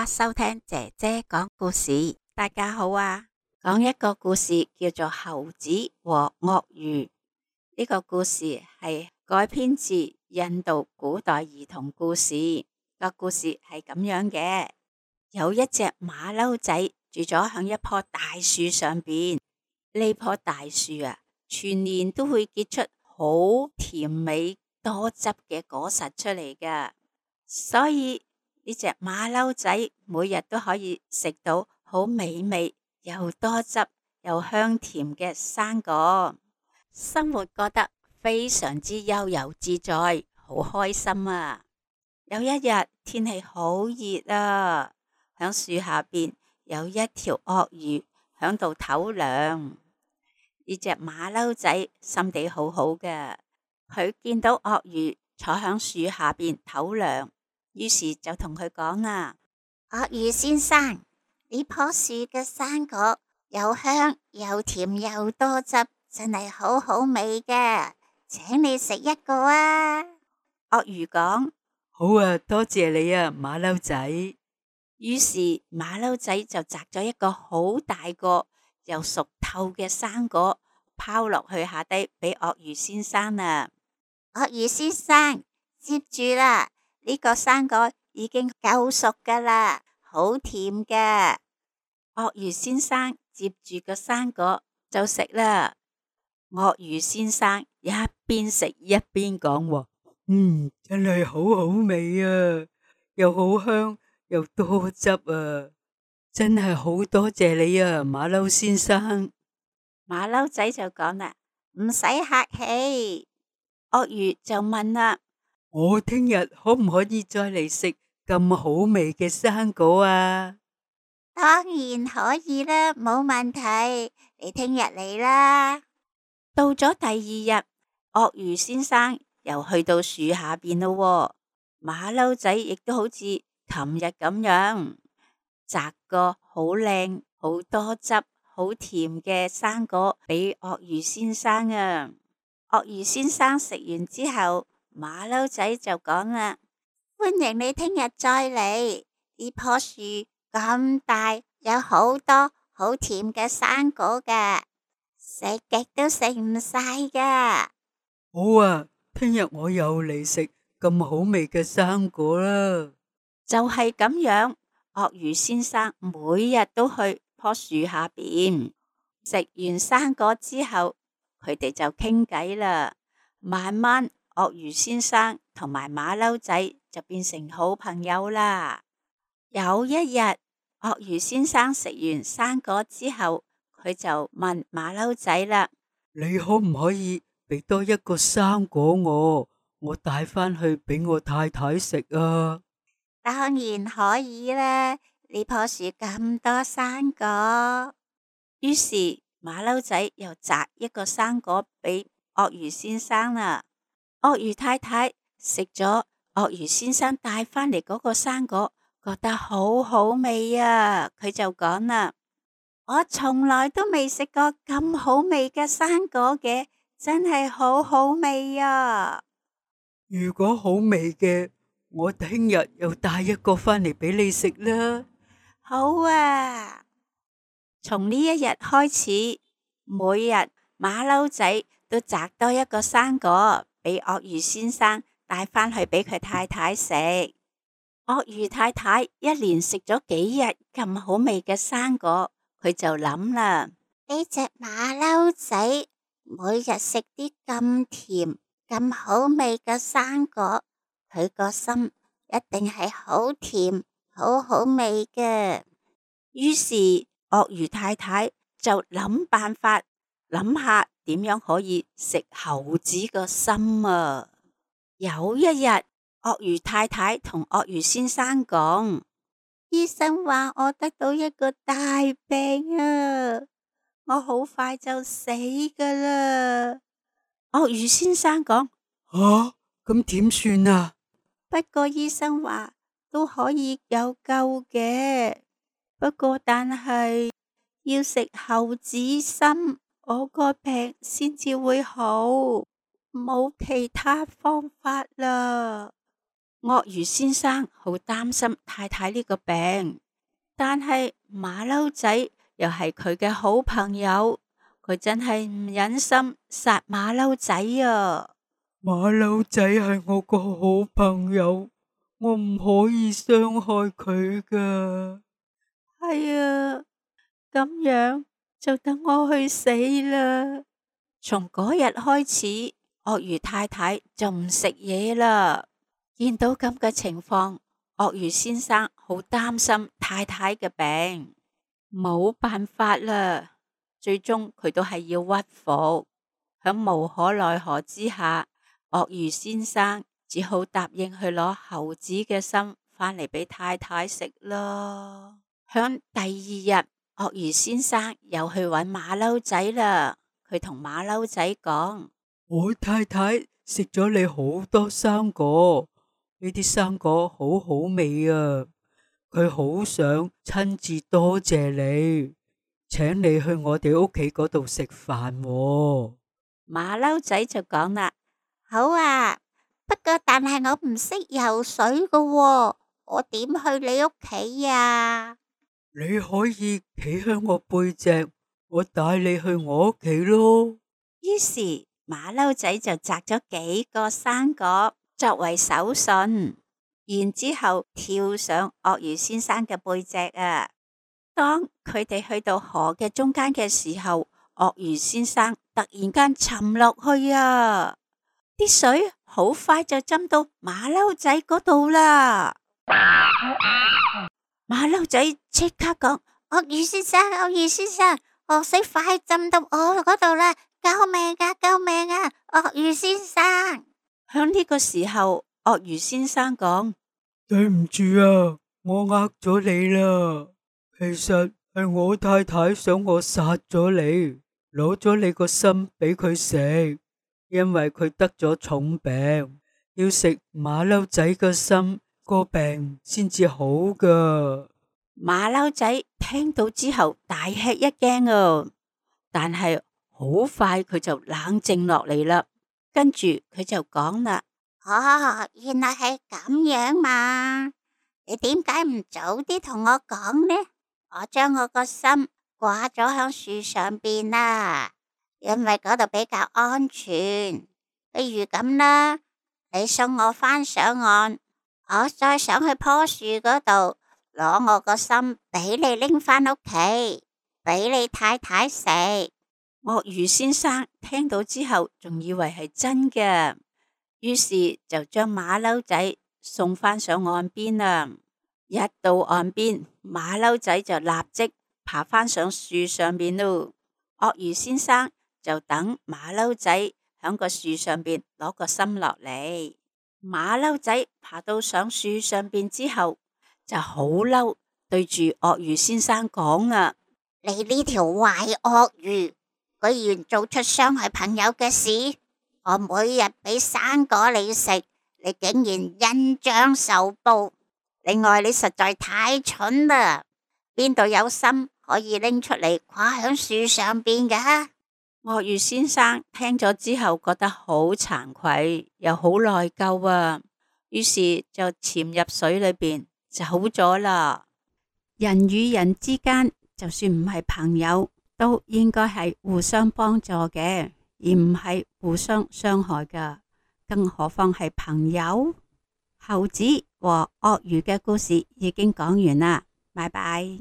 家收聽姐姐講故事。大家好啊，講一個故事叫做猴子和鱷魚。呢個故事係改編自印度古代兒童故事。個故事係咁樣嘅：有一隻馬騮仔住咗響一棵大樹上邊。呢棵大樹啊，全年都會結出好甜美多汁嘅果實出嚟㗎，所以呢隻馬騮仔每日都可以食到好美味又多汁又香甜嘅生果，生活過得非常之悠游自在，好開心啊！有一日天氣好熱啊，響樹下邊有一條鱷魚響度唞涼。呢隻馬騮仔心地好好嘅，佢見到鱷魚坐響樹下邊唞涼，於是就同佢講啦：鱷魚先生，呢棵樹嘅生果又香又甜又多汁，真係好好味嘅，請你食一個啊！鱷魚講：好啊，多謝你啊，馬騮仔。於是馬騮仔就摘咗一個好大個又熟透嘅生果，拋落去下低俾鱷魚先生啊！鱷魚先生，接住啦，呢個生果已經夠熟噶啦，好甜嘅。鱷魚先生接住個生果就食啦。鱷魚先生一邊食一邊講：真係好好味啊，又好香又多汁啊，真係好多謝你啊，馬騮先生。馬騮仔就講啦：唔使客氣。鱷魚就問啦：我聽日可唔可以再嚟食咁好味嘅生果啊？當然可以啦，冇問題，你聽日嚟啦。到咗第二日，鱷魚先生又去到樹下邊咯。馬騮仔亦都好似琴日咁樣摘個好靚、好多汁、好甜嘅生果俾鱷魚先生啊。鱷魚先生食完之後，馬騮仔就講啦：歡迎你聽日再嚟，呢棵樹咁大，有好多好甜嘅生果㗎，食極都食唔晒㗎。好啊，聽日我又嚟食咁好味嘅生果啦。就係咁樣，鱷魚先生每日都去棵樹下邊食完生果之後，佢哋就傾偈啦。慢慢，鱷魚先生同埋馬騮仔就變成好朋友啦。有一日，鱷魚先生食完生果之後，佢就問馬騮仔啦：你可唔可以俾多一個生果我帶返去俾我太太食啊？當然可以啦，呢棵樹咁多生果。於是馬騮仔又摘一個生果俾鱷魚先生啦。鱷魚太太食咗鱷魚先生帶返嚟嗰個生果，覺得好好味啊！佢就講啦：我從來都未食過咁好味嘅生果嘅，真係好好味啊！如果好味嘅，我聽日又帶一個返嚟俾你食啦。好啊！從呢一日開始，每日馬騮仔都摘多一個生果俾鱷魚先生帶返去俾佢太太食。鱷魚太太一連食咗幾日咁好味嘅生果，佢就諗啦：呢隻馬騮仔每日食啲咁甜咁好味嘅生果，佢個心一定係好甜好好味嘅。於是鱷魚太太就諗辦法，諗下點樣可以食猴子個心啊！有一日，鱷魚太太同鱷魚先生講：醫生話我得到一個大病啊，我好快就死噶啦。鱷魚先生講：咁點算啊？不過醫生話都可以有救嘅。不過但係要食猴子心，我個病先至會好，冇其他方法啦。鱷魚先生好擔心太太呢個病，但係馬騮仔又係佢嘅好朋友，佢真係唔忍心殺馬騮仔啊！馬騮仔係我個好朋友，我唔可以傷害佢噶。係啊，咁樣就等我去死啦！從嗰日開始，鱷魚太太就唔食嘢啦。見到咁嘅情況，鱷魚先生好擔心太太嘅病，冇辦法啦。最終佢都係要屈服，響無可奈何之下，鱷魚先生只好答應去攞猴子嘅心返嚟俾太太食咯。響第二日，鱷魚先生又去搵馬騮仔啦。佢同馬騮仔講：我太太食咗你好多生果。呢啲生果好好味啊！佢好想親自多謝你，請你去我哋屋企嗰度食飯喎。馬騮仔就講啦：好啊，不過但係我唔識游水噶喎，我點去你屋企啊？你可以企喺我背脊，我帶你去我屋企咯。於是馬騮仔就摘咗幾個生果作為手信，然之後跳上鱷魚先生嘅背脊啊！當佢哋去到河嘅中間嘅時候，鱷魚先生突然間沉落去啊！啲水好快就浸到馬騮仔嗰度啦！馬騮仔即刻講：鱷魚先生，鱷魚先生，河水快浸到我嗰度啦！救命啊！救命啊！鱷魚先生。響呢個時候，鱷魚先生講：對唔住啊，我呃咗你啦。其實係我太太想我殺咗你，攞咗你個心俾佢食，因為佢得咗重病，要食馬騮仔嘅心，個病先至好噶。馬騮仔聽到之後大吃一驚啊，但係好快佢就冷靜落嚟啦。跟住佢就講啦：原來係咁樣嘛？你點解唔早啲同我講呢？我將我個心掛咗響樹上邊啦，因為嗰度比較安全。譬如咁啦，你送我返上岸，我再上去棵樹嗰度攞我個心俾你拎返屋企，俾你太太食。鱷魚先生聽到之後，仲以為係真嘅，於是就將馬騮仔送返上岸邊啦。一到岸邊，馬騮仔就立即爬返上樹上邊咯。鱷魚先生就等馬騮仔響個樹上邊攞個心落嚟。馬騮仔爬到上樹上邊之後，就好嬲，對住鱷魚先生講啊：你呢條壞鱷魚，居然做出傷害朋友嘅事！我每日俾生果你食，你竟然恩將仇報。另外，你實在太蠢啦，邊度有心可以拎出嚟掛響樹上邊㗎？鱷魚先生聽咗之後覺得好慚愧，又好內疚啊，於是就潛入水裏邊走咗啦。人與人之間，就算唔係朋友，都應該係互相幫助嘅，而唔係互相傷害㗎。更何況係朋友。猴子和鱷魚嘅故事已經講完啦，拜拜。